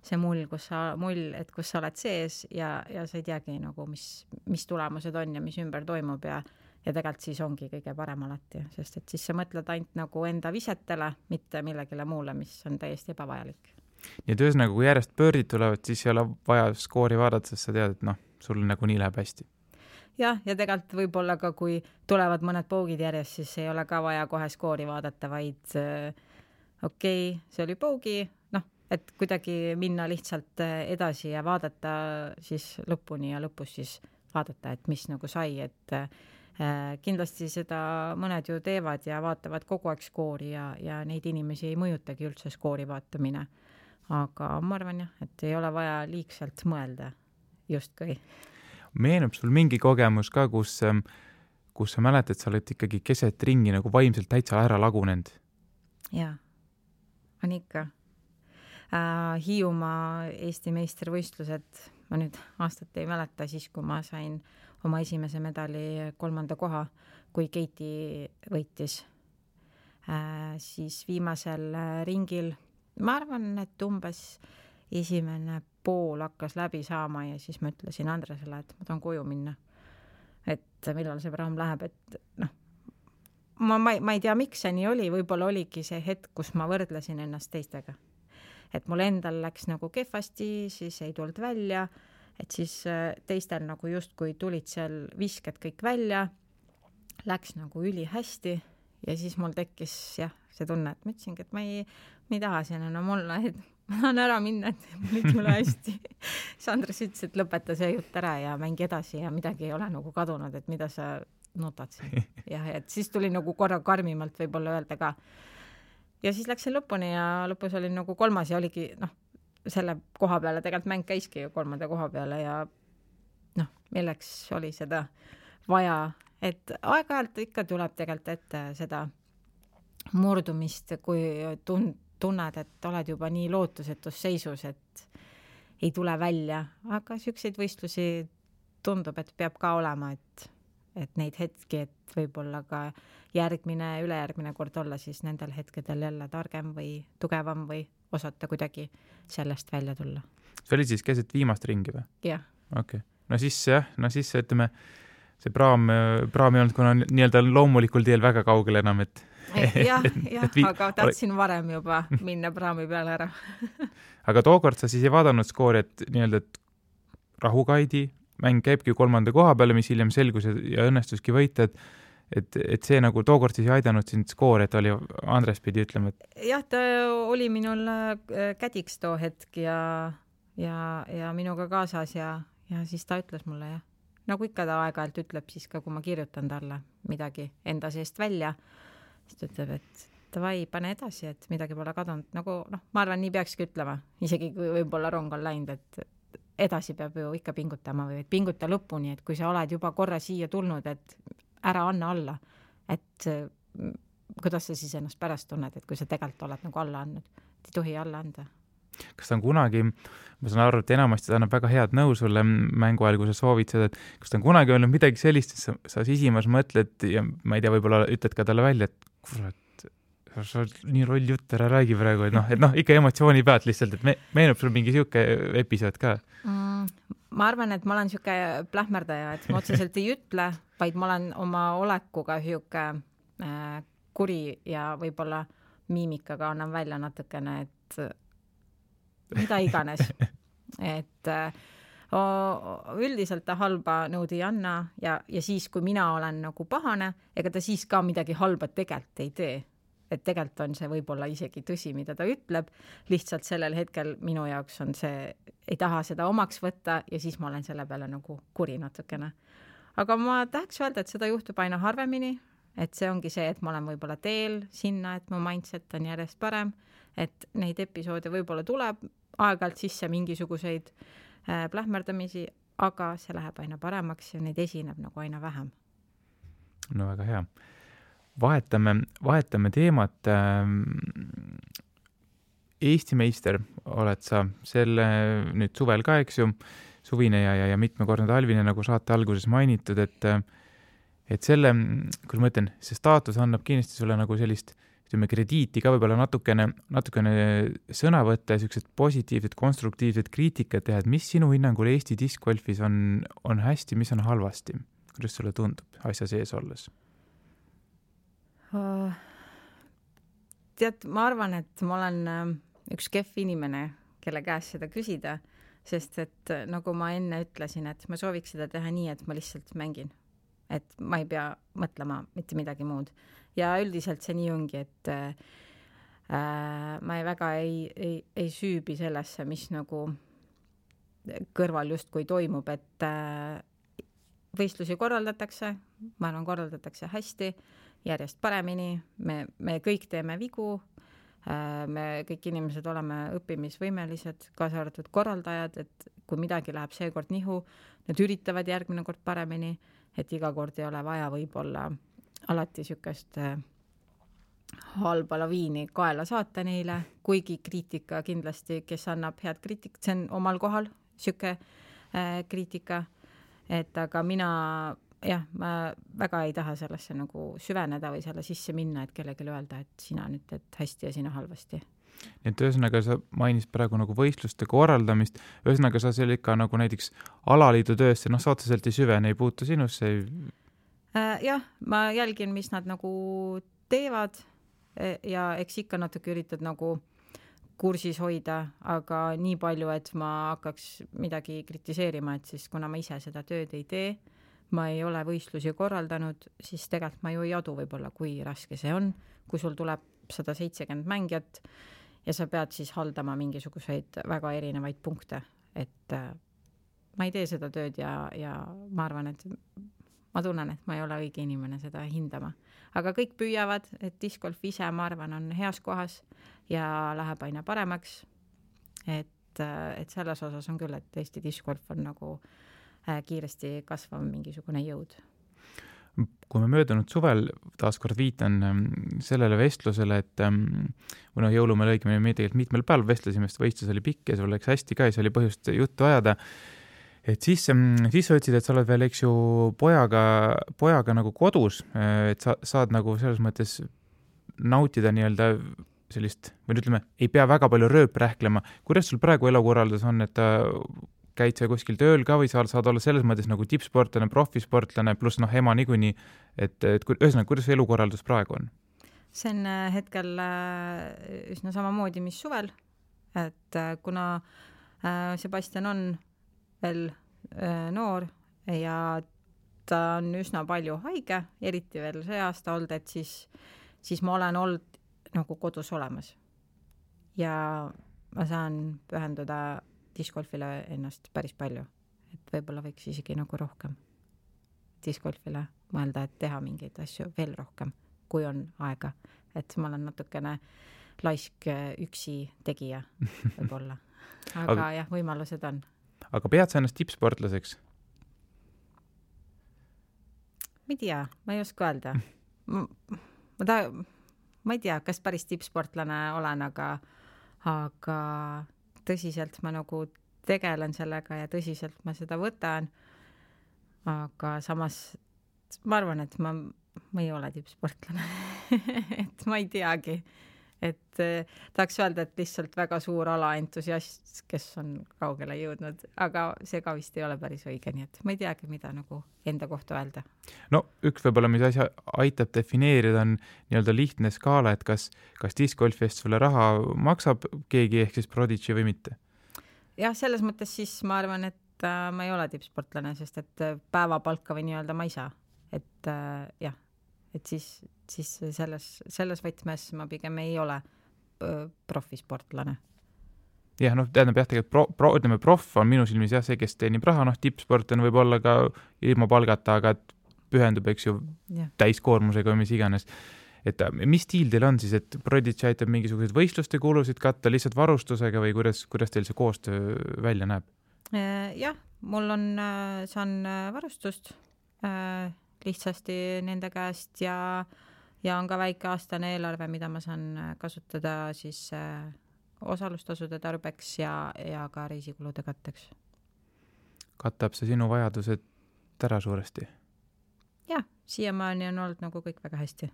see kus sa oled sees ja sa ei teagi nagu, mis tulemused on ja mis ümber toimub ja tegelikult siis ongi kõige parem alati, sest et siis sa mõtled ainult nagu enda visetele, mitte millegile muule, mis on täiesti ebavajalik. Nii et ühesõnaga, kui järjest pöördid tulevad, siis ei ole vaja skoori vaadata, sest sa tead, et sul nagu nii läheb hästi. Ja tegelikult võib-olla ka, kui tulevad mõned pougid järjest, siis ei ole ka vaja kohe skoori vaadata, vaid okei, see oli pougi, et kuidagi minna lihtsalt edasi ja vaadata siis lõpuni ja lõpus siis vaadata, et mis nagu sai, et kindlasti seda mõned ju teevad ja vaatavad kogu aeg skoori ja neid inimesi ei mõjutagi üldse skoori vaatamine. Aga ma arvan jah, et ei ole vaja liigselt mõelda justkui. Meenub sul mingi kogemus ka, kus sa mäletad, sa oled ikkagi keset ringi nagu vaimselt täitsa ära lagunenud? Jaa, on ikka. Hiiumaa Eesti meistrivõistlused, ma nüüd aastat ei mäleta, siis kui ma sain oma esimese medali 3. koha, kui Keiti võitis, siis viimasel ringil, ma arvan, et umbes esimene pool hakkas läbi saama ja siis ma ütlesin Andresele, et ma tahan koju minna. Et millal see praam läheb, et ma ei tea, miks see nii oli, võib-olla oligi see hetk, kus ma võrdlesin ennast teistega. Et mul endal läks nagu kehvasti, siis ei tulnud välja, et siis teistel nagu justkui tulid seal visked kõik välja, läks nagu üli hästi ja siis mul tekkis see tunne, et ma ütlesingi, et ma ei taha siin enam olla, et ma tahan ära minna, et mul ei tule hästi. siis Andres ütles, et lõpeta see jutt ära ja mängi edasi ja midagi ei ole nagu kadunud, et mida sa nutad siin. Ja et siis tuli nagu korra karmimalt võib-olla öelda ka. Ja siis läksin lõpuni ja lõpus olin nagu 3. ja oligi selle koha peale, tegelikult mäng käiski ju 3. koha peale ja milleks oli seda vaja, et aeg-ajalt ikka tuleb tegelikult ette seda murdumist, kui tunned, et oled juba nii lootusetus seisus, et ei tule välja, aga selliseid võistlusi tundub, et peab ka olema, et neid hetki, et võib-olla ka järgmine, ülejärgmine kord olla siis nendel hetkedel jälle targem või tugevam või osata kuidagi sellest välja tulla. See oli siis keset viimast ringi või? Jah. Okay. No siis ütleme, see praam ei olnud kuna nii-öelda loomulikul teel väga kaugel enam, et aga tahtsin varem juba minna praami peale ära. Aga tookord sa siis ei vaadanud skoori, et nii-öelda, et Rahu-Kaidi mäng käibki 3. koha peale, mis hiljem selgus ja õnnestuski võita, et see nagu tookord siis ei aidanud sind skoor, et oli Andres pidi ütlema, et jah, ta oli minul kädiks too hetk ja minuga kaasas ja siis ta ütles mulle nagu ikka ta aeg-ajalt ütleb siis ka, kui ma kirjutan talle midagi enda seest välja, siis ta ütleb, et davai, pane edasi, et midagi pole kadunud. Nagu, ma arvan, nii peakski ütlema, isegi kui võib-olla rong on läinud, et edasi peab ju ikka pingutama või pinguta lõpuni, et kui sa oled juba korra siia tulnud, et ära anna alla, et kuidas sa siis ennast pärast tunned, et kui sa tegelikult oled nagu alla andnud, et ei tohi alla anda. Kas ta on kunagi, ma saan aru, et enamasti ta annab väga head nõu sulle mängu ajal, kui sa soovid seda, et kas ta on kunagi olnud midagi sellist, et sa sisimas mõtled ja ma ei tea, võib-olla ütled ka talle välja, et kurat, sa nii roll jutt ära räägi praegu, et ikka emotsiooni pealt lihtsalt, et meenub sul mingi siuke episood ka? Ma arvan, et ma olen siuke plähmerdaja, et ma otseselt ei ütle, vaid ma olen oma olekuga siuke kuri ja võib-olla miimikaga annan välja natukene, et mida iganes. Et üldiselt ta halba nõud ei anna ja siis, kui mina olen nagu pahane, ega ta siis ka midagi halba tegelikult ei tee. Et tegelikult on see võib-olla isegi tõsi, mida ta ütleb, lihtsalt sellel hetkel minu jaoks on see, ei taha seda omaks võtta ja siis ma olen selle peale nagu kuri natukene. Aga ma tahaks öelda, et seda juhtub aina harvemini, et see ongi see, et ma olen võib-olla teel sinna, et mu mindset on järjest parem, et neid episoode võib-olla tuleb aeg-ajalt sisse mingisuguseid plähmerdamisi, aga see läheb aina paremaks ja neid esineb nagu aina vähem. No väga hea. Vahetame teemat. Eesti meister oled sa selle nüüd suvel ka, eks ju, suvine ja mitmekordne talvine, nagu saate alguses mainitud, et selle, kui ma ütlen, see staatus annab kindlasti sulle nagu sellist krediiti ka võib-olla natukene sõna võtta ja sellised positiivsed, konstruktiivsed kriitikat teha, et mis sinu hinnangul Eesti diskgolfis on hästi, mis on halvasti? Kuidas sulle tundub asja sees olles? Tead, ma arvan, et ma olen üks kehv inimene, kelle käest seda küsida, sest et nagu ma enne ütlesin, et ma sooviks seda teha nii, et ma lihtsalt mängin. Et ma ei pea mõtlema mitte midagi muud. Ja üldiselt see nii ongi, et ma väga ei süübi sellesse, mis nagu kõrval justkui toimub, et võistlusi korraldatakse, ma arvan, korraldatakse hästi, järjest paremini, me kõik teeme vigu, me kõik inimesed oleme õppimisvõimelised, kaasa arvatud korraldajad, et kui midagi läheb seekord nihu, nad üritavad järgmine kord paremini, et iga kord ei ole vaja võib-olla alati sükest halba laviini kaela saata neile, kuigi kriitika kindlasti, kes annab head kriitikat, see on omal kohal süke kriitika, et aga mina jah, ma väga ei taha sellesse nagu süveneda või selle sisse minna, et kellelegi öelda, et sina nüüd teed hästi ja sina halvasti. Nii et ühesõnaga sa mainisid praegu nagu võistluste korraldamist, ühesõnaga sa seal ikka nagu näiteks alaliidu töösse, noh, sa otseselt ei süvene, ei puutu sinusse? Jah, ma jälgin, mis nad nagu teevad ja eks ikka natuke üritad nagu kursis hoida, aga nii palju, et ma hakkaks midagi kritiseerima, et siis kuna ma ise seda tööd ei tee, ma ei ole võistlusi korraldanud, siis tegelikult ma ju ei adu võib-olla, kui raske see on, kui sul tuleb 170 mängijat ja sa pead siis haldama mingisuguseid väga erinevaid punkte, et ma ei tee seda tööd ja ma arvan, et ma tunnen, et ma ei ole õige inimene seda hindama. Aga kõik püüavad, et discgolf ise, ma arvan, on heas kohas ja läheb aina paremaks. Et selles osas on küll, et Eesti discgolf on nagu kiiresti kasvav mingisugune jõud. Kui me möödunud suvel, taaskord viitan sellele vestlusele, et või jõulumäel õigemini me tegelikult mitmel päeval vestlesime, sest võistlus oli pikk ja sul läks hästi ka ja see oli põhjust juttu ajada. Et siis sa ütlesid, et sa oled veel, eks ju, pojaga nagu kodus, et sa saad nagu selles mõttes nautida nii-öelda sellist, või ütleme, ei pea väga palju rööprähklema. Kuidas sul praegu elukorraldus on, et käid sa kuskil tööl ka või saad olla selles mõttes nagu tippsportlane, profisportlane, pluss ema niikuinii, et ühesõnaga, kuidas see elukorraldus praegu on? See on hetkel üsna samamoodi, mis suvel, et kuna Sebastian on veel noor ja ta on üsna palju haige, eriti veel see aasta olnud, et siis ma olen olnud nagu kodus olemas. Ja ma saan pühenduda discgolfile ennast päris palju. Et võib-olla võiks isegi nagu rohkem discgolfile mõelda, et teha mingeid asju veel rohkem, kui on aega. Et ma olen natukene laisk üksi tegija võib-olla. Aga jah, võimalused on. Aga pead sa ennast tippsportlaseks? Ma ei tea, ma ei oska öelda. Ma ei tea, kas päris tippsportlane olen, aga tõsiselt ma nagu tegelen sellega ja tõsiselt ma seda võtan. Aga samas ma arvan, et ma ei ole tippsportlane. Et ma ei teagi. Et tahaks öelda, et lihtsalt väga suur alaentusiast, kes on kaugele jõudnud, aga see ka vist ei ole päris õige, nii et ma ei teagi, mida nagu enda kohta öelda. No üks võib-olla, mis asja aitab defineerida, on nii-öelda lihtne skaala, et kas discgolfist sulle raha maksab keegi ehk siis Prodigy või mitte? Jah, selles mõttes siis ma arvan, et ma ei ole tippsportlane, sest et päevapalka või nii-öelda ma ei saa. Et jah, et siis selles võtmes ma pigem ei ole profisportlane. Jah, tähendab jah, tegelikult proff on minu silmis jah see, kes teenib raha, tippsportlane võib olla ka ilma palgata, aga pühendub, eks ju, täiskoormusega või mis iganes. Et mis stiil teil on siis, et Prodigy aitab mingisuguseid võistluste kulusid katta lihtsalt varustusega või kuidas teil see koostöö välja näeb? Jah, saan varustust lihtsasti nende käest ja on ka väike aastane eelarve, mida ma saan kasutada siis osalustasude tarbeks ja ka reisikulude katteks. Katab see sinu vajadused ära suuresti? Jah, siiamaani on olnud nagu kõik väga hästi.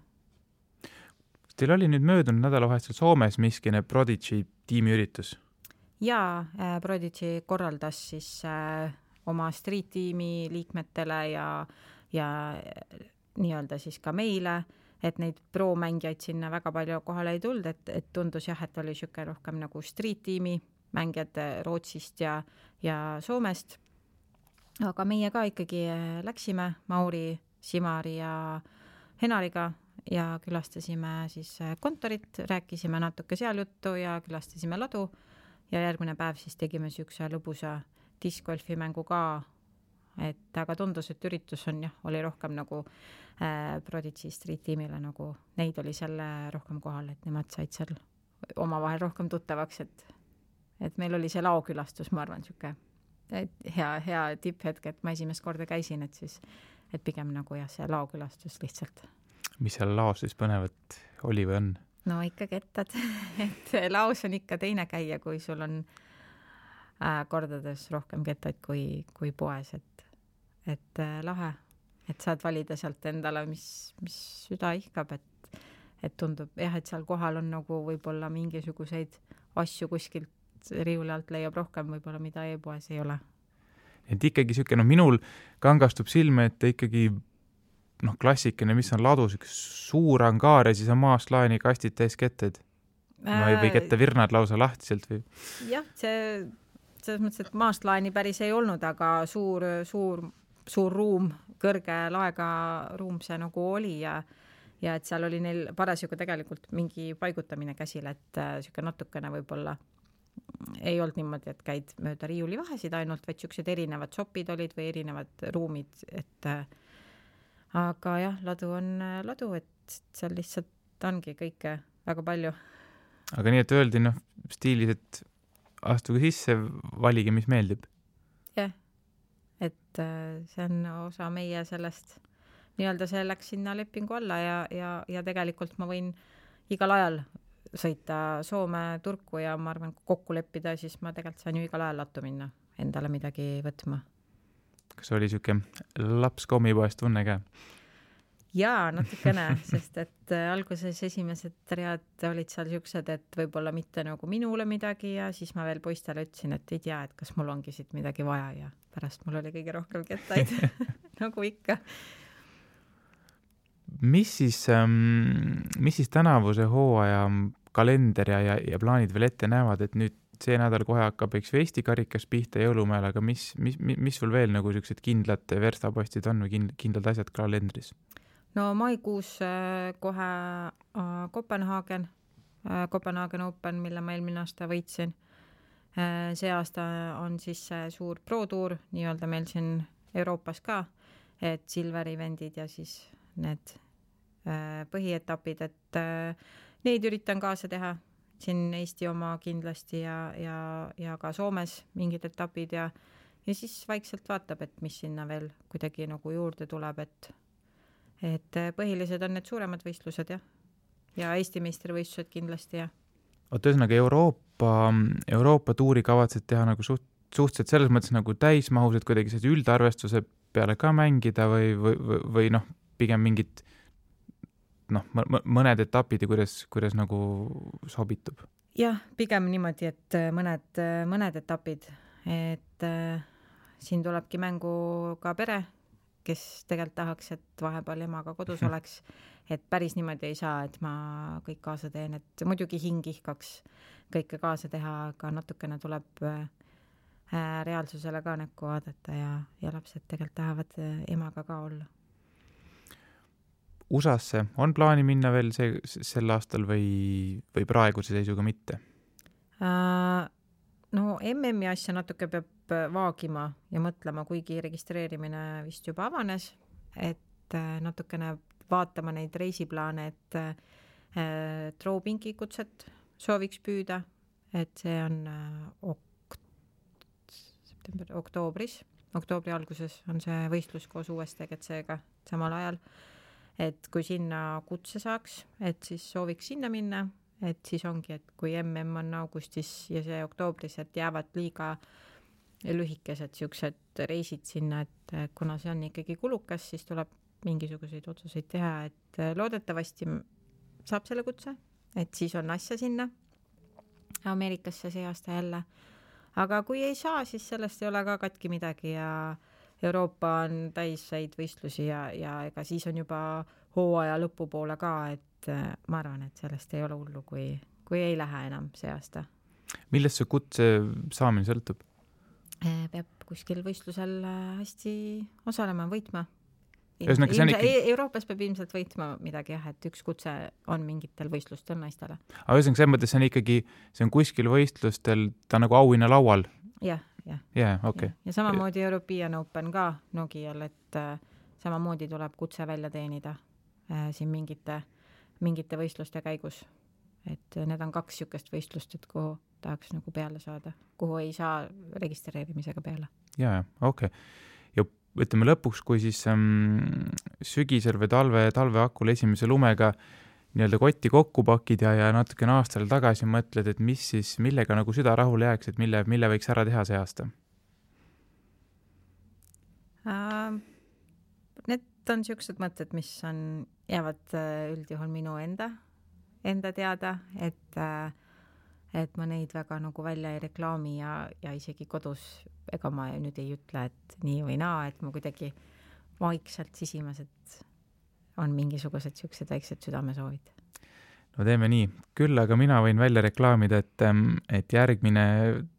Teil oli nüüd möödunud nädalavahetusel Soomes miskine Prodigy tiimiüritus? Jaa, Prodigy korraldas siis oma street-tiimi liikmetele ja nii-öelda siis ka meile, et neid pro-mängijaid sinna väga palju kohale ei tulnud, et tundus jah, et oli siuke rohkem nagu street-tiimi mängijad Rootsist ja Soomest. Aga meie ka ikkagi läksime Mauri, Simari ja Henariga ja külastasime siis kontorit, rääkisime natuke seal juttu ja külastasime ladu ja järgmine päev siis tegime siukse lõbusa discgolfi mängu ka. Aga tundus, et üritus oli rohkem nagu Prodigy Street tiimile, nagu neid oli selle rohkem kohal, et nemad said seal omavahel rohkem tuttavaks, et meil oli see laokülastus, ma arvan, siuke hea tipphetk, et ma esimest korda käisin, et pigem nagu jah, see laokülastus lihtsalt. Mis seal laos siis põnevat oli või on? No ikka kettad, et laos on ikka teine käia, kui sul on kordades rohkem kettaid kui poes, et lahe. et saad valida sealt endale, mis süda ihkab, et tundub jah, et seal kohal on nagu võib-olla mingisuguseid asju kuskilt riiuli alt leiab rohkem võib-olla, mida e-poes ei ole. Et ikkagi siuke, minul kangastub silme, et ikkagi klassikene, mis on ladus, üks suur angaar ja siis on maast laeni kastid täis ketted. Või kette virnad lausa lahtiselt või? Jah, selles mõttes, et maast laeni päris ei olnud, aga suur ruum, kõrge laega ruum see nagu oli ja et seal oli neil parasjagu tegelikult mingi paigutamine käsil, et siuke natukene võib-olla ei olnud niimoodi, et käid mööda riiuli vahesid ainult, vaid siuksed erinevad sopid olid või erinevad ruumid, et aga jah, ladu on ladu, et seal lihtsalt ongi kõike väga palju. Aga nii, et öeldi stiilis, et astuge sisse, valige, mis meeldib. Jah, et see on osa meie sellest, nii-öelda see läks sinna lepingu alla ja tegelikult ma võin igal ajal sõita Soome Turku ja ma arvan, kui kokku leppida, siis ma tegelikult saan ju igal ajal lattu minna endale midagi võtma. Kas oli siuke laps kommipoest tunne ka? Jaa, natukene, sest et alguses esimesed read olid seal siuksed, et võib-olla mitte nagu minule midagi ja siis ma veel poistele ütlesin, et ei tea, et kas mul ongi siit midagi vaja ja pärast mul oli kõige rohkem kettaid, nagu ikka. Mis siis tänavuse hooaja kalender ja plaanid veel ette näevad, et nüüd see nädal kohe hakkab eks Eesti karikas pihta jõulumäel, aga mis sul veel nagu siuksed kindlad verstapostid on või kindlad asjad kalendris? No maikuus kohe Kopenhaagen Open, mille ma eelmine aasta võitsin. See aasta on siis suur pro-tuur nii-öelda meil siin Euroopas ka, et silver eventid ja siis need põhietapid, et neid üritan kaasa teha. Siin Eesti oma kindlasti ja ka Soomes mingid etapid ja siis vaikselt vaatab, et mis sinna veel kuidagi nagu juurde tuleb, et põhilised on need suuremad võistlused ja Eesti meistrivõistlused kindlasti ja. Ühesõnaga Euroopa tuuri kavatsed teha nagu suhteliselt selles mõttes nagu täismahus, et kuidagi see üldarvestuse peale ka mängida või pigem mingid mõned etapid ja kuidas nagu sobitub? Jah, pigem niimoodi, et mõned etapid, et siin tulebki mängu ka pere, kes tegelikult tahaks, et vahepeal emaga kodus oleks, et päris niimoodi ei saa, et ma kõik kaasa teen, et muidugi hing ihkaks kõike kaasa teha, aga natukene tuleb reaalsusele ka näkku vaadata ja lapsed tegelikult tahavad emaga ka olla. USAsse on plaani minna veel sel aastal või praeguse seisuga mitte? No MM-i asja natuke peab vaagima ja mõtlema, kuigi registreerimine vist juba avanes, et natukene vaatama neid reisiplaane, et Trowpinki kutset sooviks püüda, et see on oktoobri alguses on see võistlus koos USTGC-ga samal ajal. Et kui sinna kutse saaks, et siis sooviks sinna minna, et siis ongi, et kui MM on augustis ja see oktoobris, et jäävad liiga lühikesed siuksed reisid sinna, et kuna see on ikkagi kulukas, siis tuleb mingisuguseid otsuseid teha, et loodetavasti saab selle kutse, et siis on asja sinna Ameerikasse see aasta jälle. Aga kui ei saa, siis sellest ei ole ka katki midagi ja Euroopa on täisseid võistlusi ja ega siis on juba hooaja lõpupoole ka, et ma arvan, et sellest ei ole hullu, kui ei lähe enam see aasta. Millest see kutse saamine sõltub? Peab kuskil võistlusel hästi osalema, võitma. Euroopas peab ilmselt võitma midagi, et üks kutse on mingitel võistlustel naistele. Aga ühesõnaga, selles mõttes see on kuskil võistlustel, ta nagu auhinna laual? Jah. Okay. Ja samamoodi European Open ka Nokial, et samamoodi tuleb kutse välja teenida siin mingite võistluste käigus. Et need on 2 siukest võistlust, et kuhu tahaks nagu peale saada, kuhu ei saa registreerimisega peale. Ja, okei. Ja ütleme lõpuks, kui siis sügisel või talve hakul esimese lumega nii-öelda kotti kokku pakid ja natukene aastal tagasi mõtled, et mis siis, millega nagu süda rahule jääks, et mille võiks ära teha see aasta? Need on niisugused mõtted, mis jäävad üldjuhul minu enda teada, et ma neid väga nagu välja ei reklaami ja isegi kodus, ega ma nüüd ei ütle, et nii või naa, et ma kuidagi vaikselt sisimas, et on mingisugused niisugused väiksed südamesoovid. No teeme nii. Küll aga mina võin välja reklaamida, et järgmine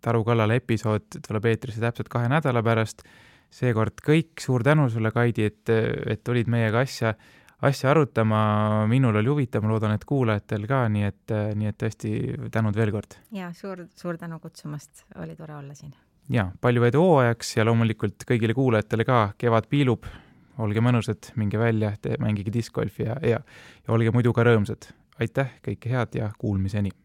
Taru kallale episood tuleb eetrisse täpselt 2 nädala pärast. Seekord kõik suur tänu sulle, Kaidi, et olid meiega asja arutama. Minul oli huvitav, ma loodan, et kuulajatel ka, nii et tõesti tänud veel kord. Ja suur tänu kutsumast, oli tore olla siin. Ja, palju edu hooajaks ja loomulikult kõigile kuulajatele ka, kevad piilub, olge mõnusad, minge välja, mängige discgolfi ja olge muidu ka rõõmsad. Aitäh, kõike head ja kuulmiseni!